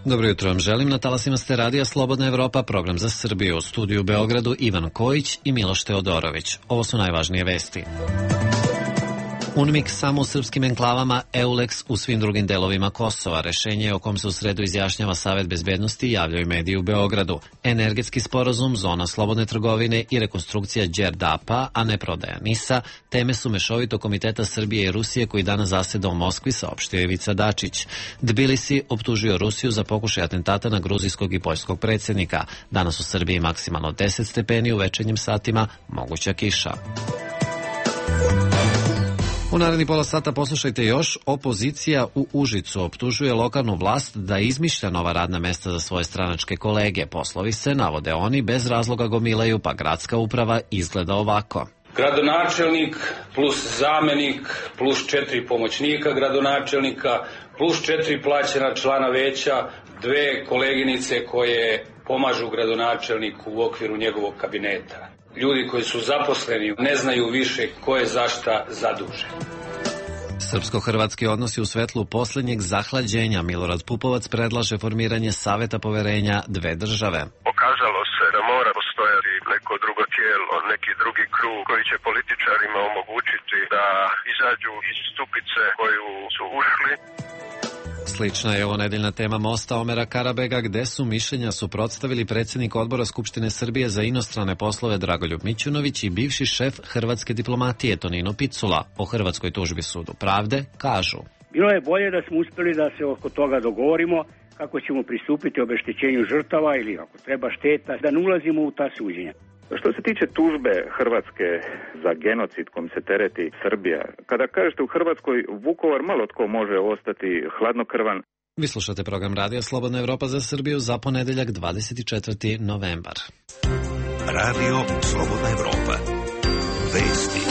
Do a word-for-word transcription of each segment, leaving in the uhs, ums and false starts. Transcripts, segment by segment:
Dobro jutro vam želim. Na talasima ste radija Slobodna Evropa, program za Srbiju. U studiju u Beogradu Ivan Kojić i Miloš Teodorović. Ovo su najvažnije vesti. UNMIK samo u srpskim enklavama, EULEX u svim drugim delovima Kosova. Rešenje o kom se u sredu izjašnjava Savet bezbednosti javljaju mediji u Beogradu. Energetski sporazum, zona slobodne trgovine i rekonstrukcija Đerdapa, a ne prodaja NIS-a, teme su mešovitog komiteta Srbije i Rusije koji danas zaseda u Moskvi, saopštio Ivica Dačić. Tbilisi optužio Rusiju za pokušaj atentata na gruzijskog i poljskog predsjednika. Danas u Srbiji maksimalno deset stepeni, u večernjim satima moguća kiša. U naredni pola sata poslušajte još. Opozicija u Užicu optužuje lokalnu vlast da izmišlja nova radna mesta za svoje stranačke kolege. Poslovi se, navode oni, bez razloga gomilaju, pa gradska uprava izgleda ovako. Gradonačelnik plus zamenik plus četiri pomoćnika gradonačelnika plus četiri plaćena člana veća, dve koleginice koje pomažu gradonačelniku u okviru njegovog kabineta. Ljudi koji su zaposleni ne znaju više ko je za šta zadužen. Srpsko-hrvatski odnosi u svetlu posljednjeg zahlađenja. Milorad Pupovac predlaže formiranje saveta poverenja dve države. Pokazalo se da mora postojati neko drugo tijelo, neki drugi krug koji će političarima omogućiti da izađu iz stupice koju su ušli. Slična je ovo nedeljna tema mosta Omera Karabega, gde su mišljenja suprotstavili predsjednik odbora Skupštine Srbije za inostrane poslove Dragoljub Mićunović i bivši šef hrvatske diplomatije Tonino Picula. O hrvatskoj tužbi Sudu pravde kažu. Bilo je bolje da smo uspjeli da se oko toga dogovorimo kako ćemo pristupiti obeštećenju žrtava ili ako treba šteta, da ne ulazimo u ta suđenja. Što se tiče tužbe Hrvatske za genocid kojim se tereti Srbija, kada kažete u Hrvatskoj Vukovar, malo tko može ostati hladnokrvan. Vi slušate program Radija Slobodna Evropa za Srbiju za ponedeljak dvadeset četvrti novembar. Radio Slobodna Evropa. Vesti.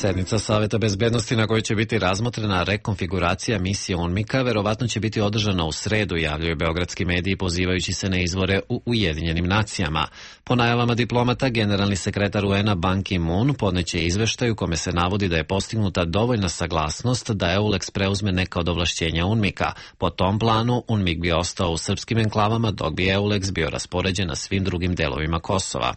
Sednica Saveta bezbednosti na kojoj će biti razmotrena rekonfiguracija misije UNMIK-a verovatno će biti održana u sredu, javljaju beogradski mediji pozivajući se na izvore u Ujedinjenim nacijama. Po najavama diplomata, generalni sekretar U N-a Ban Ki-moon podneće izveštaj u kome se navodi da je postignuta dovoljna saglasnost da EULEX preuzme neka od ovlašćenja UNMIK-a. Po tom planu, UNMIK bi ostao u srpskim enklavama, dok bi EULEX bio raspoređen na svim drugim delovima Kosova.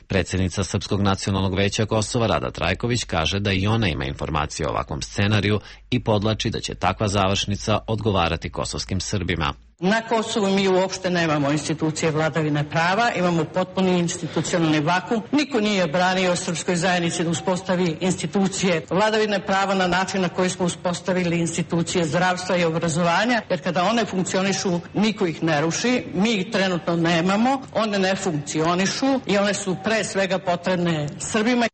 Predsjednica Srpskog nacionalnog veća Kosova Rada Trajković kaže da i ona ima informacije o ovakvom scenariju i podlači da će takva završnica odgovarati kosovskim Srbima. Na Kosovu mi uopšte nemamo institucije vladavine prava, imamo potpuni institucionalni vakum. Niko nije branio srpskoj zajednici da uspostavi institucije vladavine prava na način na koji smo uspostavili institucije zdravstva i obrazovanja, jer kada one funkcionišu, niko ih ne ruši. Mi ih trenutno nemamo, one ne funkcionišu i one su pre svega potrebne Srbima.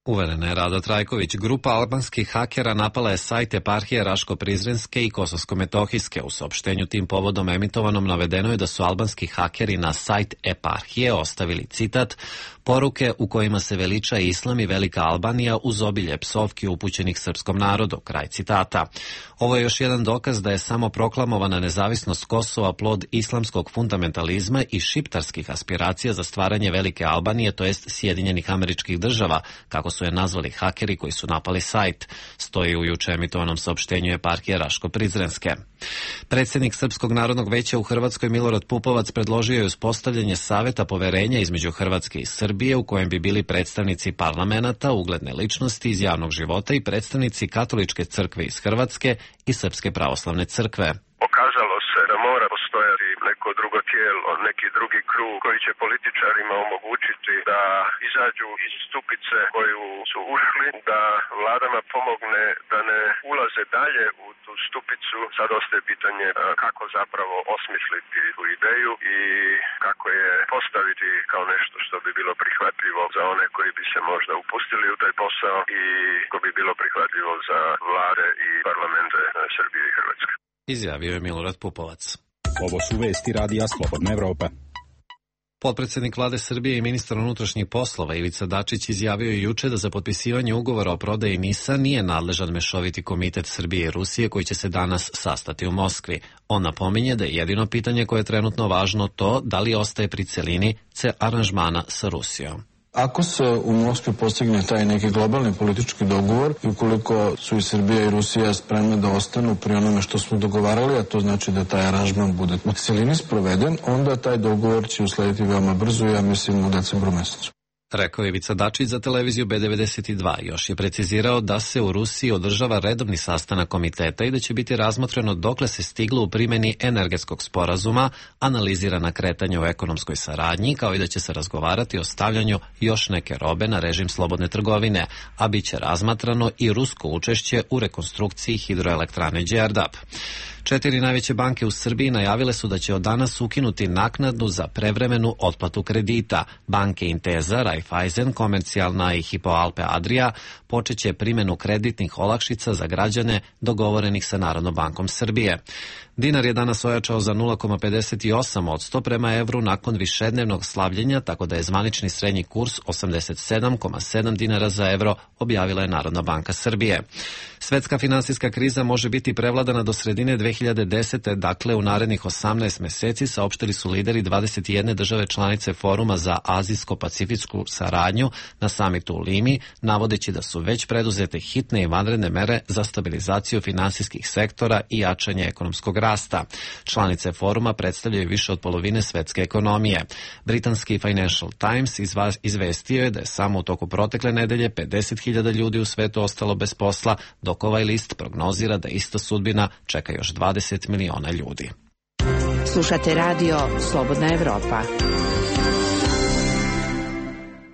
Uverena je Rada Trajković. Grupa albanskih hakera napala je sajt eparhije Raško-Prizrenske i Kosovsko-Metohijske. U saopštenju tim povodom emitovanom navedeno je da su albanski hakeri na sajt eparhije ostavili citat: poruke u kojima se veliča islam i velika Albanija uz obilje psovki upućenih srpskom narodu. Kraj citata. Ovo je još jedan dokaz da je samo proklamovana nezavisnost Kosova plod islamskog fundamentalizma i šiptarskih aspiracija za stvaranje velike Albanije, to jest Sjedinjenih Američkih Država, kako su je nazvali hakeri koji su napali sajt, stoji u juče emitovanom saopštenju eparhije Raško-Prizrenske. Predsjednik Srpskog narodnog veća u Hrvatskoj Milorad Pupovac predložio je uspostavljanje saveta poverenja između Hrvatske i Srbije u kojem bi bili predstavnici parlamenata, ugledne ličnosti iz javnog života i predstavnici Katoličke crkve iz Hrvatske i Srpske pravoslavne crkve. Pokazalo se da mora postojati neko drugo tijelo, neki drugi krug koji će političarima omogućiti da izađu iz stupice koju su ušli, da vladama pomogne da ne ulaze dalje u tu stupicu. Sad ostaje pitanje kako zapravo osmisliti tu ideju i kako je postaviti kao nešto što bi bilo prihvatljivo za one koji bi se možda upustili u taj posao i ko bi bilo prihvatljivo za vlade i parlamente Srbije i Hrvatske. Izjavio je Milorad Pupovac. Ovo su vesti Radija Slobodna Evropa. Potpredsjednik vlade Srbije i ministar unutrašnjih poslova Ivica Dačić izjavio je juče da za potpisivanje ugovora o prodaji NIS-a nije nadležan mešoviti komitet Srbije i Rusije koji će se danas sastati u Moskvi. On napominje da je jedino pitanje koje je trenutno važno to da li ostaje pri celini ce aranžmana sa Rusijom. Ako se u Moskvi postigne taj neki globalni politički dogovor i ukoliko su i Srbija i Rusija spremne da ostanu pri onome što smo dogovarali, a to znači da taj aranžman bude u celini sproveden, onda taj dogovor će uslediti veoma brzo, ja mislim u decembru mesecu. Rekao je Ivica Dačić za televiziju B devedeset dva. Još je precizirao da se u Rusiji održava redovni sastanak komiteta i da će biti razmotreno dokle se stiglo u primjeni energetskog sporazuma, analizirana kretanja u ekonomskoj saradnji, kao i da će se razgovarati o stavljanju još neke robe na režim slobodne trgovine, a bit će razmatrano i rusko učešće u rekonstrukciji hidroelektrane Đerdap. Četiri najveće banke u Srbiji najavile su da će od danas ukinuti naknadu za prevremenu otplatu kredita. Banke Intesa, Raiffeisen, Komercijalna i Hypo Alpe Adria počeće primjenu kreditnih olakšica za građane dogovorenih sa Narodnom bankom Srbije. Dinar je danas ojačao za nula zarez pedeset osam posto prema evru nakon višednevnog slavljenja, tako da je zvanični srednji kurs osamdeset sedam zarez sedam dinara za evro, objavila je Narodna banka Srbije. Svetska finansijska kriza može biti prevladana do sredine dve hiljade desete. Dakle u narednih osamnaest meseci, saopštili su lideri dvadeset jedne države članice Foruma za azijsko-pacifičku saradnju na samitu u Limi, navodeći da su već preduzete hitne i vanredne mere za stabilizaciju finansijskih sektora i jačanje ekonomskog rasta. Članice Foruma predstavljaju više od polovine svetske ekonomije. Britanski Financial Times izvestio je da je samo u toku protekle nedelje pedeset hiljada ljudi u svetu ostalo bez posla, dok ovaj list prognozira da ista sudbina čeka još dvadeset miliona ljudi. Slušate radio Slobodna Evropa.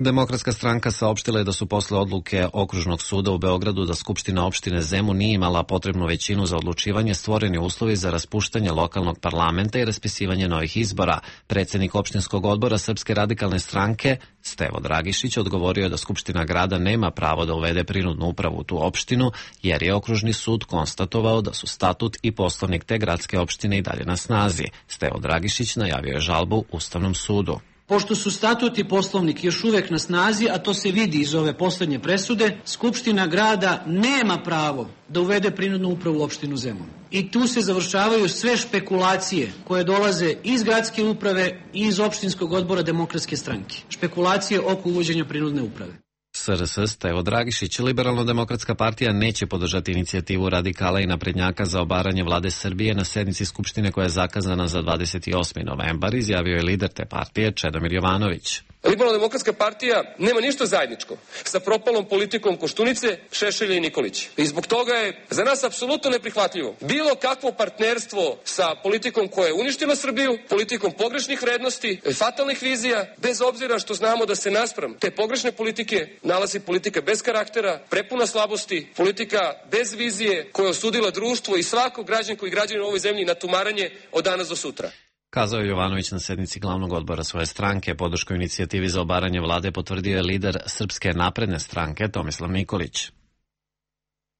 Demokratska stranka saopštila je da su posle odluke Okružnog suda u Beogradu da Skupština opštine Zemun nije imala potrebnu većinu za odlučivanje, stvoreni uslovi za raspuštanje lokalnog parlamenta i raspisivanje novih izbora. Predsednik opštinskog odbora Srpske radikalne stranke, Stevo Dragišić, odgovorio je da Skupština grada nema pravo da uvede prinudnu upravu u tu opštinu, jer je Okružni sud konstatovao da su statut i poslovnik te gradske opštine i dalje na snazi. Stevo Dragišić najavio je žalbu Ustavnom sudu. Pošto su statut i poslovnik još uvek na snazi, a to se vidi iz ove poslednje presude, Skupština grada nema pravo da uvede prinudnu upravu u opštinu Zemun. I tu se završavaju sve špekulacije koje dolaze iz gradske uprave i iz opštinskog odbora Demokratske stranke. Špekulacije oko uvođenja prinudne uprave. S R S Stevo Dragišić, Liberalno-demokratska partija neće podržati inicijativu radikala i naprednjaka za obaranje vlade Srbije na sednici Skupštine koja je zakazana za dvadeset osmi novembar, izjavio je lider te partije Čedomir Jovanović. Liberalno-demokratska partija nema ništa zajedničko sa propalom politikom Koštunice, Šešelja i Nikolića. I zbog toga je za nas apsolutno neprihvatljivo bilo kakvo partnerstvo sa politikom koja je uništila Srbiju, politikom pogrešnih vrednosti, fatalnih vizija, bez obzira što znamo da se naspram te pogrešne politike nalazi politika bez karaktera, prepuna slabosti, politika bez vizije koja je osudila društvo i svakog građanku i građanina u ovoj zemlji na tumaranje od danas do sutra. Kazao je Jovanović na sednici glavnog odbora svoje stranke. Podršku inicijativi za obaranje vlade potvrdio je lider Srpske napredne stranke Tomislav Nikolić.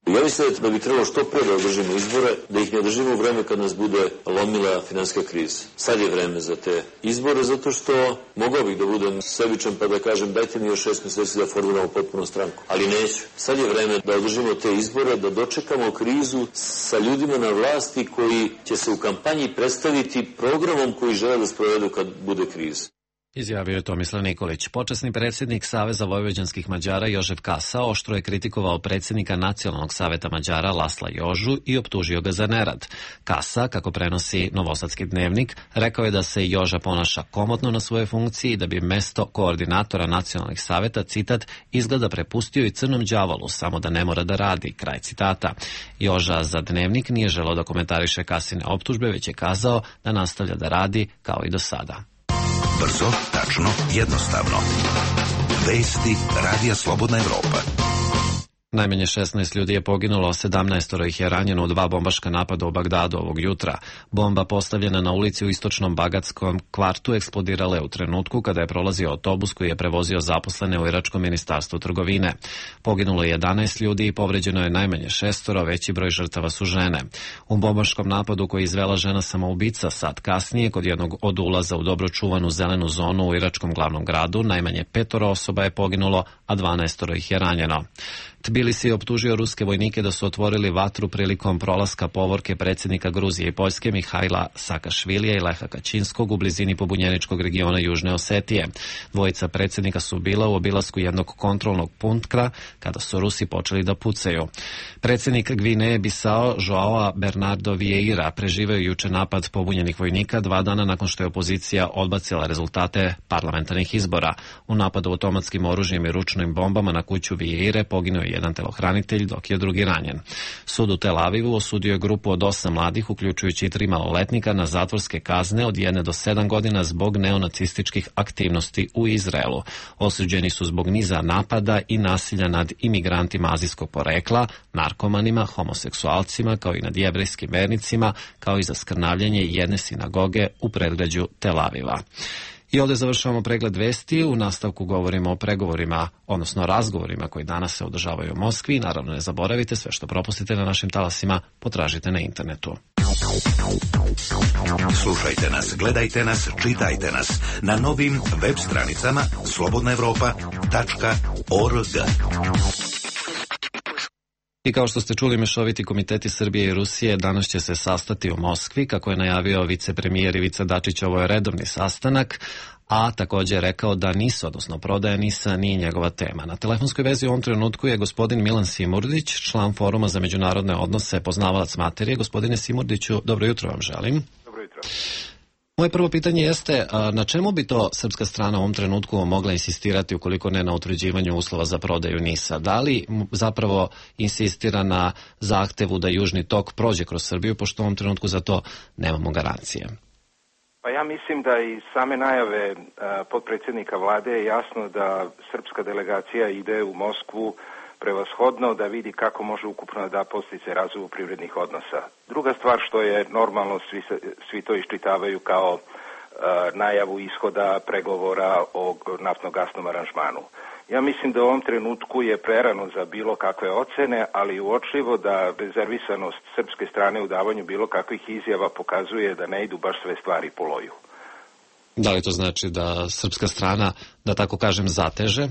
Ja mislim da bi trebalo što pre da održimo izbore, da ih ne održimo u vreme kad nas bude lomila finansijska kriza. Sad je vreme za te izbore, zato što mogao bih da budem sebičan pa da kažem dajte mi još šest meseci da formiramo potpuno stranku. Ali neću. Sad je vreme da održimo te izbore, da dočekamo krizu sa ljudima na vlasti koji će se u kampanji predstaviti programom koji žele da sprovedu kad bude kriza. Izjavio je Tomislav Nikolić. Počasni predsjednik Saveza vojvođanskih Mađara Jožef Kasa oštro je kritikovao predsjednika Nacionalnog saveta Mađara Lasla Jožu i optužio ga za nerad. Kasa, kako prenosi Novosadski dnevnik, rekao je da se Joža ponaša komotno na svoje funkciji i da bi mesto koordinatora nacionalnih saveta, citat, izgleda prepustio i crnom đavolu, samo da ne mora da radi, kraj citata. Joža za dnevnik nije želeo da komentariše Kasine optužbe, već je kazao da nastavlja da radi kao i do sada. Brzo, tačno, jednostavno. Vesti Radija Slobodna Evropa. Najmanje šesnaest ljudi je poginulo, sedamnaest ih je ranjeno u dva bombaška napada u Bagdadu ovog jutra. Bomba postavljena na ulici u istočnom Bagadskom kvartu eksplodirala je u trenutku kada je prolazio autobus koji je prevozio zaposlene u Iračkom ministarstvu trgovine. Poginulo je jedanaest ljudi i povređeno je najmanje šestoro, veći broj žrtava su žene. U bombaškom napadu koji je izvela žena samoubica sat kasnije kod jednog od ulaza u dobro čuvanu zelenu zonu u iračkom glavnom gradu, najmanje petoro osoba je poginulo, a dvanaest ih je ranjeno. Tbilisi je optužio ruske vojnike da su otvorili vatru prilikom prolaska povorke predsjednika Gruzije i Poljske Mihajla Saakašvilija i Leha Kačinskog u blizini pobunjeničkog regiona Južne Osetije. Dvojica predsjednika su bila u obilasku jednog kontrolnog punkta kada su Rusi počeli da pucaju. Predsjednik Gvineje Bisao Joao Bernardo Vieira preživeo juče napad pobunjenih vojnika dva dana nakon što je opozicija odbacila rezultate parlamentarnih izbora. U napadu automatskim oružjem i ručnim bombama na kuću Vieire poginuo je jedan telohranitelj, dok je drugi ranjen. Sud u Tel Avivu osudio je grupu od osam mladih, uključujući i tri maloletnika, na zatvorske kazne od jedne do sedam godina zbog neonacističkih aktivnosti u Izraelu. Osuđeni su zbog niza napada i nasilja nad imigrantima azijskog porekla, narkomanima, homoseksualcima, kao i nad jevrejskim vernicima, kao i za skrnavljanje jedne sinagoge u predgrađu Tel Aviva. I ovdje završavamo pregled vesti. U nastavku govorimo o pregovorima, odnosno razgovorima koji danas se održavaju u Moskvi. Naravno, ne zaboravite, sve što propustite na našim talasima potražite na internetu. Slušajte nas, gledajte nas, čitajte nas na novim web stranicama slobodna evropa tačka org. I kao što ste čuli, mešoviti komiteti Srbije i Rusije danas će se sastati u Moskvi. Kako je najavio vicepremijer Ivica Dačić, ovo je redovni sastanak, a također je rekao da NIS, odnosno prodaja NIS-a, nije njegova tema. Na telefonskoj vezi u ovom trenutku je gospodin Milan Simurdić, član Foruma za međunarodne odnose, poznavalac materije. Gospodine Simurdiću, dobro jutro vam želim. Dobro jutro. Moje prvo pitanje jeste, na čemu bi to srpska strana u ovom trenutku mogla insistirati ukoliko ne na utvrđivanju uslova za prodaju NIS-a? Da li zapravo insistira na zahtevu da Južni tok prođe kroz Srbiju, pošto u ovom trenutku za to nemamo garancije? Pa ja mislim da i same najave potpredsjednika vlade je jasno da srpska delegacija ide u Moskvu prevashodno da vidi kako može ukupno da postiče razvoju privrednih odnosa. Druga stvar što je normalno, svi, svi to iščitavaju kao uh, najavu ishoda pregovora o naftno-gasnom aranžmanu. Ja mislim da u ovom trenutku je prerano za bilo kakve ocene, ali uočljivo da rezervisanost srpske strane u davanju bilo kakvih izjava pokazuje da ne idu baš sve stvari po loju. Da li to znači da srpska strana, da tako kažem, zateže?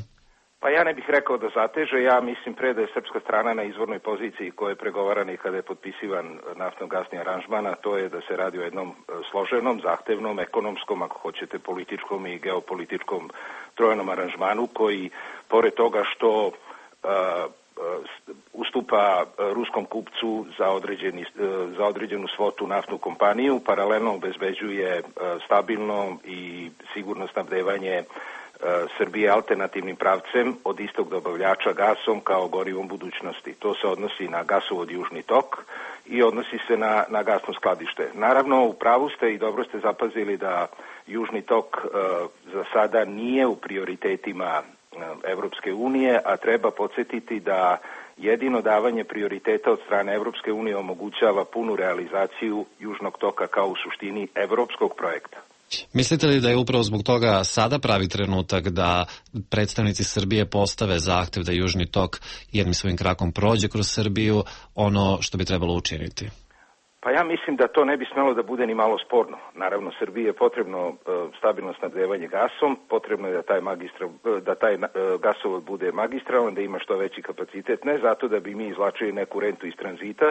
Pa ja ne bih rekao da zateže, ja mislim pre da je srpska strana na izvornoj poziciji koja je pregovarana i kada je potpisivan naftno-gasni aranžman, a to je da se radi o jednom složenom, zahtevnom, ekonomskom, ako hoćete, političkom i geopolitičkom trojnom aranžmanu koji, pored toga što uh, uh, ustupa ruskom kupcu za, određeni, uh, za određenu svotu naftnu kompaniju, paralelno obezbeđuje uh, stabilno i sigurno snabdevanje Srbije alternativnim pravcem od istog dobavljača gasom kao gorivom budućnosti. To se odnosi na gasovod Južni tok i odnosi se na, na gasno skladište. Naravno, u pravu ste i dobro ste zapazili da Južni tok uh, za sada nije u prioritetima uh, Evropske unije, a treba podsjetiti da jedino davanje prioriteta od strane Evropske unije omogućava punu realizaciju Južnog toka kao u suštini evropskog projekta. Mislite li da je upravo zbog toga sada pravi trenutak da predstavnici Srbije postave zahtev da Južni tok jednim svojim krakom prođe kroz Srbiju, ono što bi trebalo učiniti? Pa ja mislim da to ne bi smelo da bude ni malo sporno. Naravno, Srbiji je potrebno uh, stabilno snabdevanje gasom, potrebno je da taj, magistra, da taj uh, gasovod bude magistralan, da ima što veći kapacitet, ne zato da bi mi izvlačili neku rentu iz tranzita,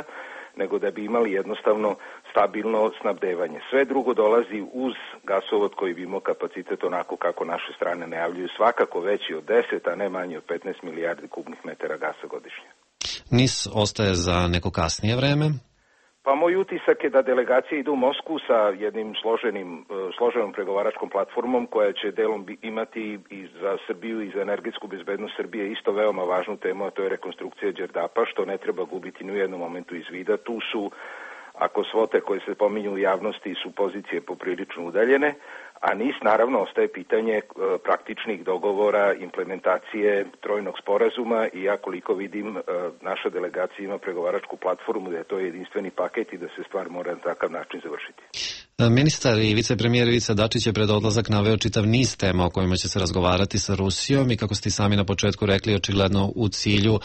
nego da bi imali jednostavno stabilno snabdevanje. Sve drugo dolazi uz gasovod koji bi imao kapacitet onako kako naše strane najavljuju, svakako veći od deset, a ne manji od petnaest milijardi kubnih metara gasa godišnje. NIS ostaje za neko kasnije vreme? Pa moj utisak je da delegacije idu u Moskvu sa jednim složenim, složenom pregovaračkom platformom koja će delom imati i za Srbiju i za energetsku bezbednost Srbije isto veoma važnu temu, a to je rekonstrukcija Đerdapa, što ne treba gubiti ni u jednom momentu iz vida. Tu su, ako svote koje se pominju u javnosti su pozicije poprilično udaljene, a NIS naravno ostaje pitanje praktičnih dogovora, implementacije trojnog sporazuma i ja koliko vidim naša delegacija ima pregovaračku platformu da je to jedinstveni paket i da se stvar mora na takav način završiti. Ministar i vicepremijer Ivica Dačić je pred odlazak naveo čitav niz tema o kojima će se razgovarati sa Rusijom i kako ste sami na početku rekli, očigledno u cilju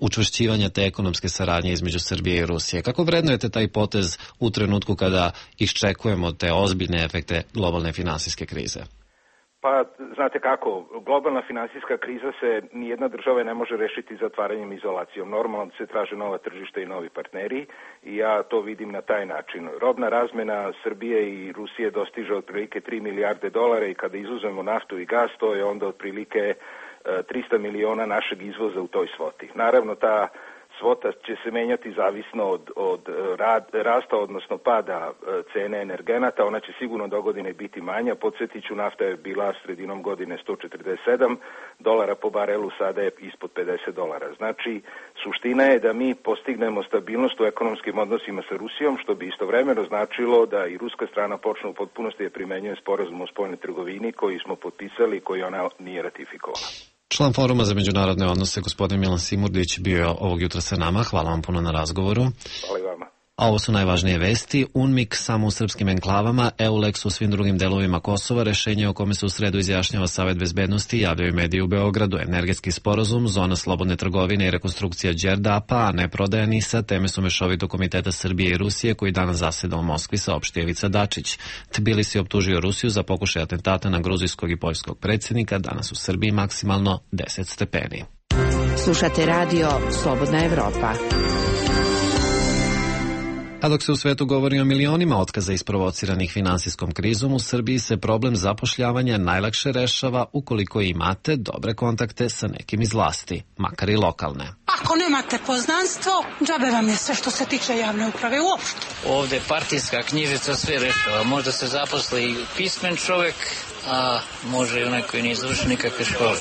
učvršćivanja te ekonomske saradnje između Srbije i Rusije. Kako vrednujete taj potez u trenutku kada iščekujemo te ozbiljne efekte globalne finansijske krize? Pa, znate kako, globalna finansijska kriza se nijedna država ne može rešiti zatvaranjem izolacijom. Normalno se traže nova tržišta i novi partneri i ja to vidim na taj način. Robna razmena Srbije i Rusije dostiže otprilike tri milijarde dolara i kada izuzmemo naftu i gas, to je onda otprilike trista miliona našeg izvoza u toj svoti. Naravno, ta svota će se menjati zavisno od, od rad, rasta, odnosno pada cene energenata. Ona će sigurno do godine biti manja. Podsjetit ću, nafta je bila sredinom godine sto četrdeset sedam dolara po barelu, sada je ispod pedeset dolara. Znači, suština je da mi postignemo stabilnost u ekonomskim odnosima sa Rusijom, što bi istovremeno značilo da i ruska strana počne u potpunosti da primenjuje sporazum o spoljnoj trgovini koji smo potpisali i koji ona nije ratifikovala. Član Foruma za međunarodne odnose, gospodin Milan Simurdić, bio je ovog jutra sa nama. Hvala vam puno na razgovoru. Hvala i vama. A ovo su najvažnije vesti. UNMIK samo u srpskim enklavama, EULEX u svim drugim delovima Kosova, rešenje o kome se u sredu izjašnjava Savet bezbednosti, javljaju mediji u Beogradu, energetski sporazum, zona slobodne trgovine i rekonstrukcija Đerdapa, a ne prodaja NIS-a, teme su mešovitog komiteta Srbije i Rusije koji danas zaseda u Moskvi, saopštio Ivica Dačić. Tbilisi optužio Rusiju za pokušaj atentata na gruzijskog i poljskog predsjednika, danas u Srbiji maksimalno deset stepeni. Slušate radio Slobodna Evropa. A dok se u svetu govori o milionima otkaza isprovociranih finansijskom krizom, u Srbiji se problem zapošljavanja najlakše rešava ukoliko imate dobre kontakte sa nekim iz vlasti, makar i lokalne. Ako nemate poznanstvo, džabe vam je sve što se tiče javne uprave uopšte. Ovde partijska knjižica sve rešava. Možda se zaposli pismen čovek, a može i onaj koji nije završio nikakve škole.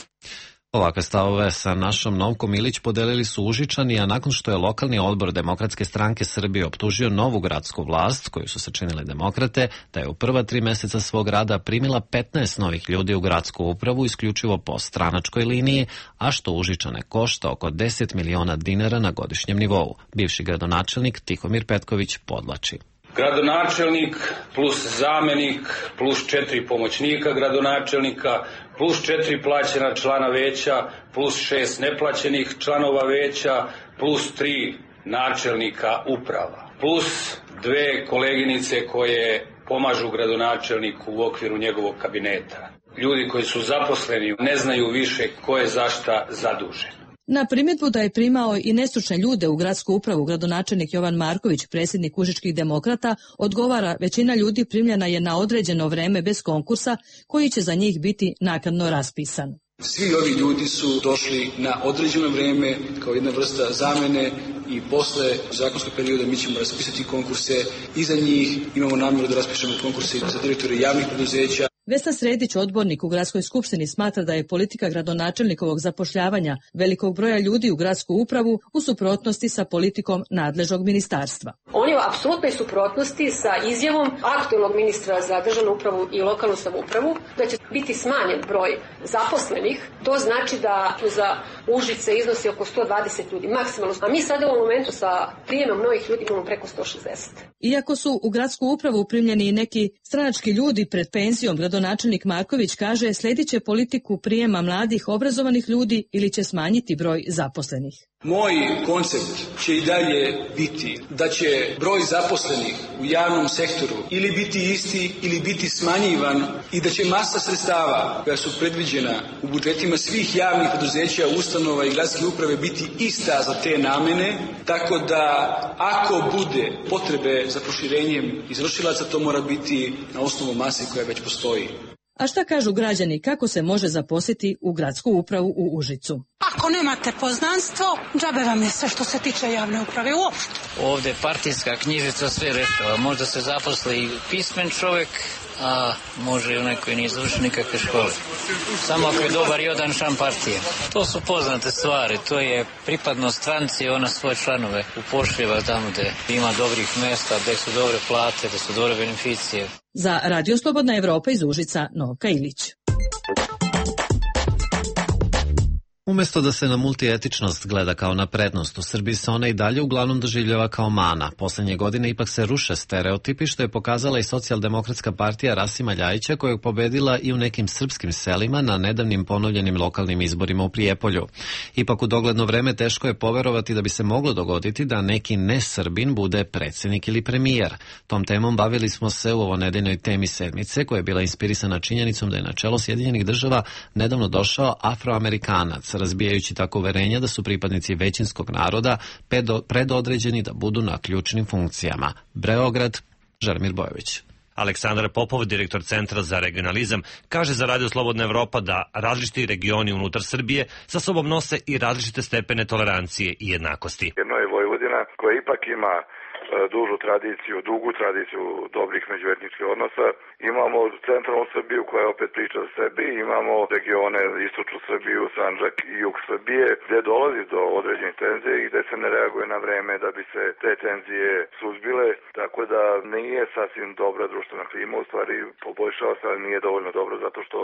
Ovakve stavove sa našom Novkom Ilić podelili su Užičani, a nakon što je lokalni odbor Demokratske stranke Srbije optužio novu gradsku vlast, koju su sačinile demokrate, da je u prva tri meseca svog rada primila petnaest novih ljudi u gradsku upravu isključivo po stranačkoj liniji, a što Užičane košta oko deset miliona dinara na godišnjem nivou. Bivši gradonačelnik Tihomir Petković podlači. Gradonačelnik plus zamenik plus četiri pomoćnika gradonačelnika plus četiri plaćena člana veća plus šest neplaćenih članova veća plus tri načelnika uprava plus dve koleginice koje pomažu gradonačelniku u okviru njegovog kabineta. Ljudi koji su zaposleni ne znaju više ko je za šta zadužen. Na primjedbu da je primao i nestručne ljude u gradsku upravu, gradonačelnik Jovan Marković, predsjednik Užičkih demokrata, odgovara: većina ljudi primljena je na određeno vreme bez konkursa koji će za njih biti naknadno raspisan. Svi ovi ljudi su došli na određeno vreme kao jedna vrsta zamene i posle zakonskog perioda mi ćemo raspisati konkurse i za njih. Imamo namjeru da raspišemo konkurse za direktore javnih preduzeća. Vesna Sredić, odbornik u Gradskoj skupštini, smatra da je politika gradonačelnikovog zapošljavanja velikog broja ljudi u gradsku upravu u suprotnosti sa politikom nadležnog ministarstva. On je u apsolutnoj suprotnosti sa izjavom aktualnog ministra za državnu upravu i lokalnu samoupravu da će biti smanjen broj zaposlenih. To znači da za Užice iznosi oko sto dvadeset ljudi maksimalno, a mi sada u ovom momentu sa prijemom novih ljudi imamo preko sto šezdeset. Iako su u gradsku upravu primljeni i neki stranački ljudi pred penzijom, gradonačelnik Marković kaže sledit će politiku prijema mladih obrazovanih ljudi ili će smanjiti broj zaposlenih. Moj koncept će i dalje biti da će broj zaposlenih u javnom sektoru ili biti isti ili biti smanjivan i da će masa sredstava koja su predviđena u budžetima svih javnih preduzeća, ustanova i gradske uprave biti ista za te namene, tako da ako bude potrebe za proširenjem izvršilaca, to mora biti na osnovu mase koja već postoji. A šta kažu građani, kako se može zaposliti u gradsku upravu u Užicu? Ako nemate poznanstvo, džabe vam je sve što se tiče javne uprave uopšte. Ovde partijska knjižica sve rešava. Možda se zaposli pismen čovek, a može i onaj koji nije završio nikakve škole. Samo ako je dobar i odan član partije. To su poznate stvari. To je pripadnost stranci, ona svoje članove upošljava tamo gde ima dobrih mesta, gde su dobre plate, gde su dobre beneficije. Za Radio Slobodna Evropa iz Užica, Novka Ilić. Umesto da se na multietičnost gleda kao na prednost, u Srbiji se ona i dalje uglavnom doživljava kao mana. Poslednje godine ipak se ruše stereotipi, što je pokazala i Socijaldemokratska partija Rasima Ljajića, koja je pobedila i u nekim srpskim selima na nedavnim ponovljenim lokalnim izborima u Prijepolju. Ipak u dogledno vreme teško je poverovati da bi se moglo dogoditi da neki ne-Srbin bude predsednik ili premijer. Tom temom bavili smo se u ovonedeljnoj temi sedmice, koja je bila inspirisana činjenicom da je na čelo Sjedinjenih država nedavno došao Afroamerikanac, razbijajući tako uverenja da su pripadnici većinskog naroda predodređeni da budu na ključnim funkcijama. Beograd, Želimir Bojović. Aleksandar Popov, direktor Centra za regionalizam, kaže za Radio Slobodna Evropa da različiti regioni unutar Srbije sa sobom nose i različite stepene tolerancije i jednakosti. Jedno je Vojvodina, koja ipak ima dužu tradiciju, dugu tradiciju dobrih međuetničkih odnosa. Imamo centralnu Srbiju koja opet priča za sebi, imamo regione istočnu Srbiju, Sandžak i jug Srbije, gde dolazi do određenih tenzije i gde se ne reaguje na vreme da bi se te tenzije suzbile, tako da nije sasvim dobra društvena klima, u stvari poboljšava se, ali nije dovoljno dobro zato što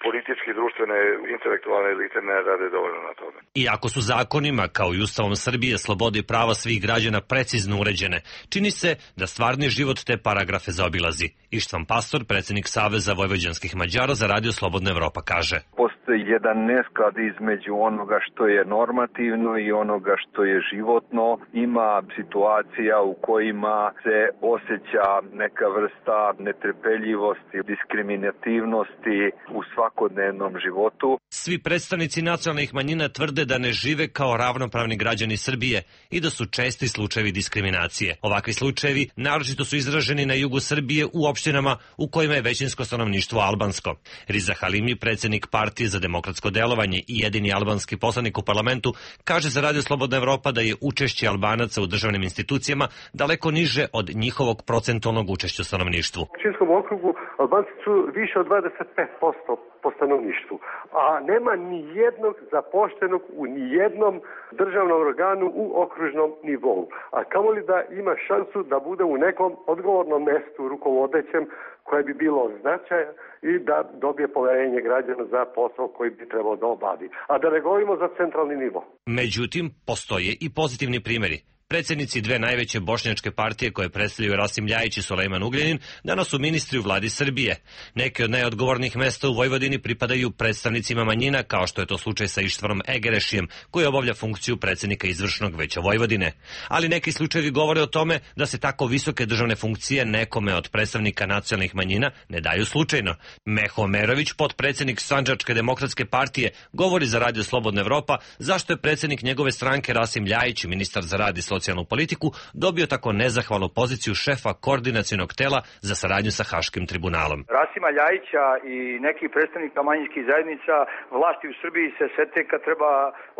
politički, društvene, intelektualne elite ne rade dovoljno na tome. Iako su zakonima, kao i Ustavom Srbije, slobode i prava svih građana precizno uređene, čini se da stvarni život te paragrafe zaobilazi. Ištvan Pastor, predsjednik Saveza vojvođanskih Mađara za Radio Slobodna Evropa, kaže: Postoji jedan nesklad između onoga što je normativno i onoga što je životno. Ima situacija u kojima se osjeća neka vrsta netrpeljivosti, diskriminativnosti u svakodnevnom životu. Svi predstavnici nacionalnih manjina tvrde da ne žive kao ravnopravni građani Srbije i da su česti slučajevi diskriminacije. Ovakvi slučajevi naročito su izraženi na jugu Srbije u opštinama u kojima je većinsko stanovništvo albansko. Riza Halimi, predsjednik Partije za demokratsko delovanje i jedini albanski poslanik u parlamentu, kaže za Radio Slobodna Evropa da je učešće Albanaca u državnim institucijama daleko niže od njihovog procentualnog učešća u stanovništvu. U Pčinjskom okrugu Albanci su više od dvadeset pet posto po stanovništvu, a nema ni jednog zapošljenog u ni jednom državnom organu u okružnom nivou. A kamoli da ima šansu da bude u nekom odgovornom mestu rukovodećem koje bi bilo značaja i da dobije poverenje građana za posao koji bi trebao da obavi. A da ne govorimo za centralni nivo. Međutim, postoje i pozitivni primjeri. Predsjednici dve najveće bošnjačke partije koje predstavljaju Rasim Ljajić i Sulejman Ugljanin danas su ministri u vladi Srbije. Neke od najodgovornijih mesta u Vojvodini pripadaju predstavnicima manjina, kao što je to slučaj sa Ištvanom Egerešijem, koji obavlja funkciju predsjednika izvršnog veća Vojvodine. Ali neki slučajevi govore o tome da se tako visoke državne funkcije nekome od predstavnika nacionalnih manjina ne daju slučajno. Meho Omerović, potpredsjednik Sandžačke demokratske partije, govori za Radio Slobodna Evropa zašto je predsjednik njegove stranke Rasim Ljajić, ministar za rad i socijalnu politiku, dobio tako nezahvalnu poziciju šefa koordinacionog tela za saradnju sa Haškim tribunalom. Rasima Ljajića i nekih predstavnika manjinskih zajednica vlasti u Srbiji se sete kad treba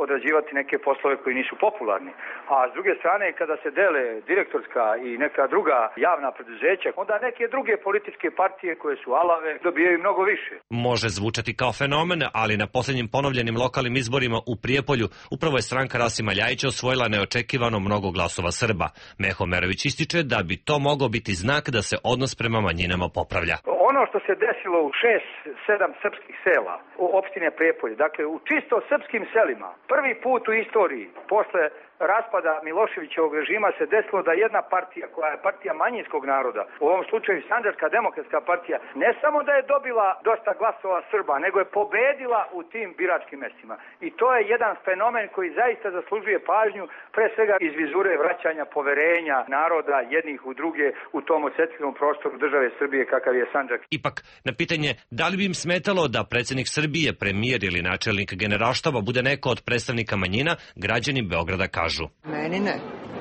odrađivati neke poslove koji nisu popularni. A s druge strane, kada se dele direktorska i neka druga javna preduzeća, onda neke druge političke partije koje su alave dobijaju mnogo više. Može zvučati kao fenomen, ali na posljednjim ponovljenim lokalnim izborima u Prijepolju upravo je stranka Rasima Ljajića osvojila neočekivano mnogo glasova Srba. Meho Omerović ističe da bi to mogao biti znak da se odnos prema manjinama popravlja. Ono što se desilo u šest, sedam srpskih sela u opštine Prijepolje, dakle u čisto srpskim selima, prvi put u istoriji posle raspada Miloševićevog režima se desilo da jedna partija, koja je partija manjinskog naroda, u ovom slučaju Sandžačka demokratska partija, ne samo da je dobila dosta glasova Srba, nego je pobedila u tim biračkim mestima. I to je jedan fenomen koji zaista zaslužuje pažnju, pre svega iz vizure vraćanja poverenja naroda jednih u druge u tom osetljivom prostoru države Srbije kakav je Sandžak. Ipak, na pitanje da li bi im smetalo da predsjednik Srbije, premijer ili načelnik generalštaba bude neko od predstavnika manjina, građani Beograda kažu: Meni ne.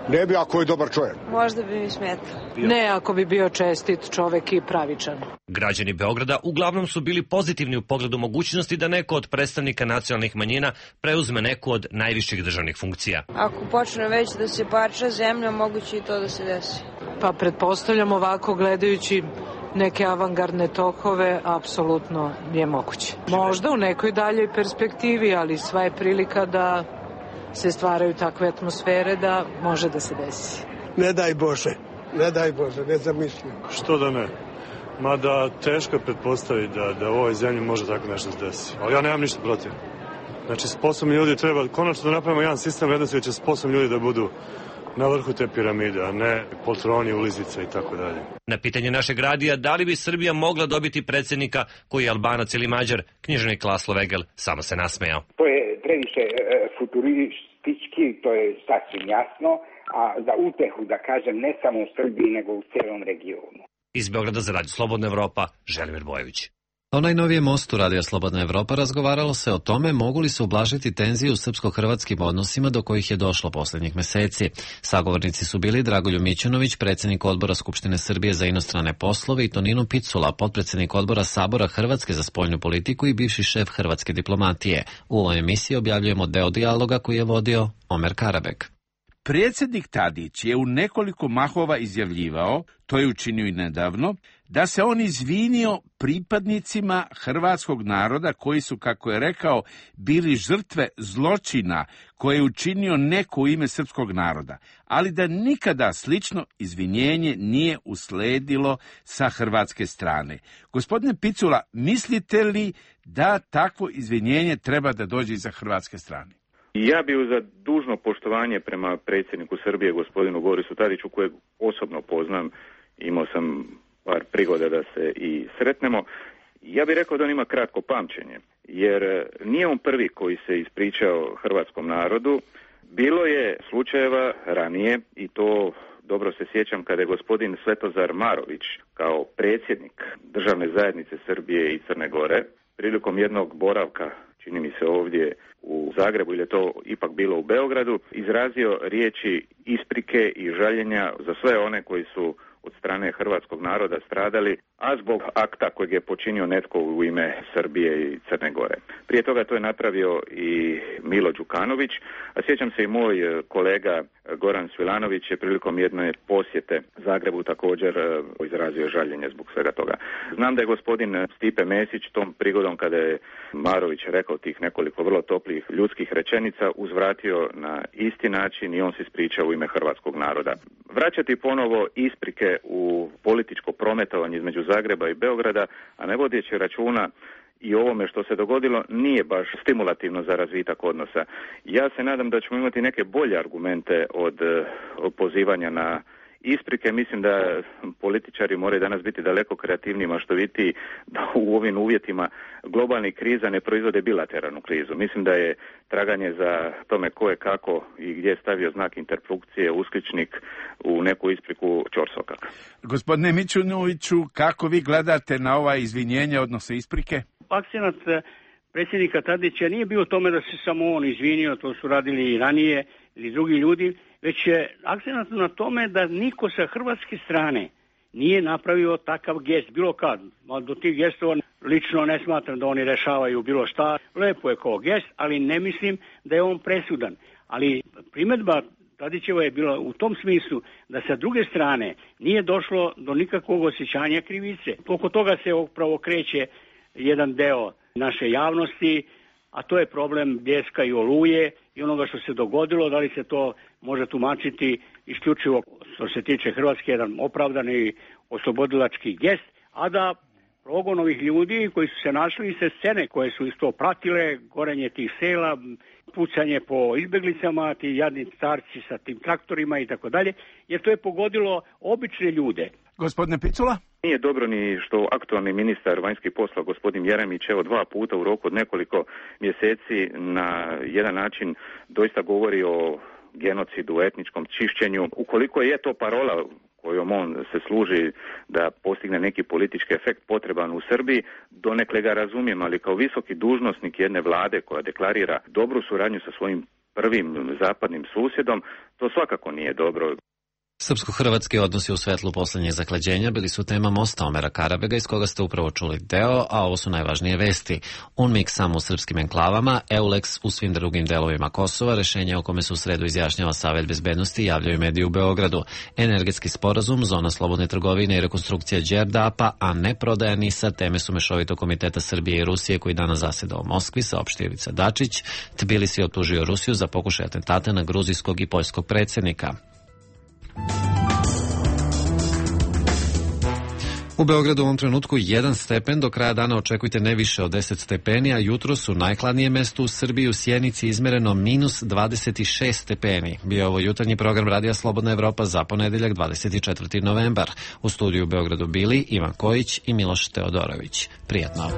Ne bi ako je dobar čovjek. Možda bi mi smetao. Ne ako bi bio čestit čovjek i pravičan. Građani Beograda uglavnom su bili pozitivni u pogledu mogućnosti da neko od predstavnika nacionalnih manjina preuzme neku od najviših državnih funkcija. Ako počne već da se parča zemlja, moguće i to da se desi. Pa pretpostavljam ovako gledajući neke avangardne tokove, apsolutno je moguće. Možda u nekoj daljoj perspektivi, ali sva je prilika da se stvaraju takve atmosfere da može da se desi. Ne daj Bože, ne daj Bože, ne zamislim. Što da ne? Mada teško je pretpostaviti da, da u ovoj zemlji može tako nešto se desi. Ali ja nemam ništa protiv. Znači, sposobni ljudi treba, konačno da napravimo jedan sistem vrednosti gdje će sposobni ljudi da budu na vrhu te piramide, a ne poltroni, ulizice i tako dalje. Na pitanje našeg radija da li bi Srbija mogla dobiti predsjednika koji je Albanac ili Mađar, književnik Laslo Vegel samo se nasmejao. To je previše e, futuristički, to je sasvim jasno, a za utehu da kažem ne samo u Srbiji nego u cijelom regionu. Iz Beograda za Radio Slobodna Evropa, Želimir Bojović. O najnovijem mostu Radija Slobodna Evropa razgovaralo se o tome mogu li se ublažiti tenzije u srpsko-hrvatskim odnosima do kojih je došlo posljednjih meseci. Sagovornici su bili Dragoljub Mićunović, predsjednik odbora Skupštine Srbije za inostrane poslove, i Tonino Picula, potpredsjednik odbora Sabora Hrvatske za spoljnu politiku i bivši šef hrvatske diplomatije. U ovoj emisiji objavljujemo deo dijaloga koji je vodio Omer Karabek. Predsjednik Tadić je u nekoliko mahova izjavljivao, to je učinio i nedavno, da se on izvinio pripadnicima hrvatskog naroda koji su, kako je rekao, bili žrtve zločina koje je učinio neko u ime srpskog naroda, ali da nikada slično izvinjenje nije usledilo sa hrvatske strane. Gospodine Picula, mislite li da takvo izvinjenje treba da dođe iza hrvatske strane? Ja bih za dužno poštovanje prema predsjedniku Srbije, gospodinu Borisu Tadiću, kojeg osobno poznam, imao sam par prigoda da se i sretnemo, ja bih rekao da on ima kratko pamćenje, jer nije on prvi koji se ispričao hrvatskom narodu. Bilo je slučajeva ranije, i to dobro se sjećam, kada je gospodin Svetozar Marović kao predsjednik Državne zajednice Srbije i Crne Gore prilikom jednog boravka, čini mi se ovdje u Zagrebu, ili je to ipak bilo u Beogradu, izrazio riječi isprike i žaljenja za sve one koji su od strane hrvatskog naroda stradali, a zbog akta kojeg je počinio netko u ime Srbije i Crne Gore. Prije toga to je napravio i Milo Đukanović, a sjećam se i moj kolega Goran Svilanović je prilikom jedne posjete Zagrebu također izrazio žaljenje zbog svega toga. Znam da je gospodin Stipe Mesić tom prigodom, kada je Marović rekao tih nekoliko vrlo toplih ljudskih rečenica, uzvratio na isti način i on se ispričao u ime hrvatskog naroda. Vraćati ponovo isprike u političko prometovanje između Zagreba i Beograda, a ne vodeći računa i ovome što se dogodilo, nije baš stimulativno za razvitak odnosa. Ja se nadam da ćemo imati neke bolje argumente od, od pozivanja na isprike. Mislim da političari moraju danas biti daleko kreativniji, maštovitiji, da u ovim uvjetima globalnih kriza ne proizvode bilateralnu krizu. Mislim da je traganje za tome ko je kako i gdje je stavio znak interpunkcije, uskličnik u neku ispriku ćorsokak. Gospodine Mićunoviću, kako vi gledate na ova izvinjenja, odnosno isprike? Akcenat predsjednika Tadića nije bio u tome da se samo on izvinio, to su radili i ranije ili drugi ljudi, već je akcenat na tome da niko sa hrvatske strane nije napravio takav gest, bilo kad. Do tih gestova lično ne smatram da oni rešavaju bilo šta. Lepo je kao gest, ali ne mislim da je on presudan. Ali primjedba Tadićeva je bila u tom smislu da sa druge strane nije došlo do nikakvog osjećanja krivice. Oko toga se upravo kreće jedan deo naše javnosti, a to je problem Bljeska i Oluje i onoga što se dogodilo, da li se to može tumačiti isključivo što se tiče Hrvatske jedan opravdani oslobodilački gest, a da progon ovih ljudi koji su se našli se scene koje su isto pratile, gorenje tih sela, pucanje po izbjeglicama, ti jadni starci sa tim traktorima i tako dalje, jer to je pogodilo obične ljude. Gospodine Picula? Nije dobro ni što aktualni ministar vanjskih poslova gospodin Jeremić evo dva puta u roku od nekoliko mjeseci na jedan način doista govori o genocidu, etničkom čišćenju. Ukoliko je to parola kojom on se služi da postigne neki politički efekt potreban u Srbiji, donekle ga razumijem, ali kao visoki dužnosnik jedne vlade koja deklarira dobru suradnju sa svojim prvim zapadnim susjedom, to svakako nije dobro. Srpsko-hrvatski odnosi u svetlu posljednjih zaklađenja bili su tema mosta Omera Karabega, iz koga ste upravo čuli deo, a ovo su najvažnije vesti. UNMIK samo u srpskim enklavama, EULEX u svim drugim delovima Kosova, rešenje o kome se u sredu izjašnjava Savet bezbednosti, javljaju mediji u Beogradu. Energetski sporazum, zona slobodne trgovine i rekonstrukcija Đerdapa, a ne prodaja NIS-a, teme su mešovitog komiteta Srbije i Rusije koji danas zaseda u Moskvi, saopštio Ivica Dačić. Tbilisi optužio Rusiju za pokušaj atentata na gruzijskog i poljskog predsjednika. U Beogradu u ovom trenutku jedan stepen, do kraja dana očekujte ne više od deset stepeni, a jutro su najhladnije mesto u Srbiji, u Sjenici izmereno minus dvadeset šest stepeni. Bio je ovo jutarnji program Radija Slobodna Evropa za ponedeljak dvadeset četvrti novembar. U studiju u Beogradu bili Ivan Kojić i Miloš Teodorović. Prijatno.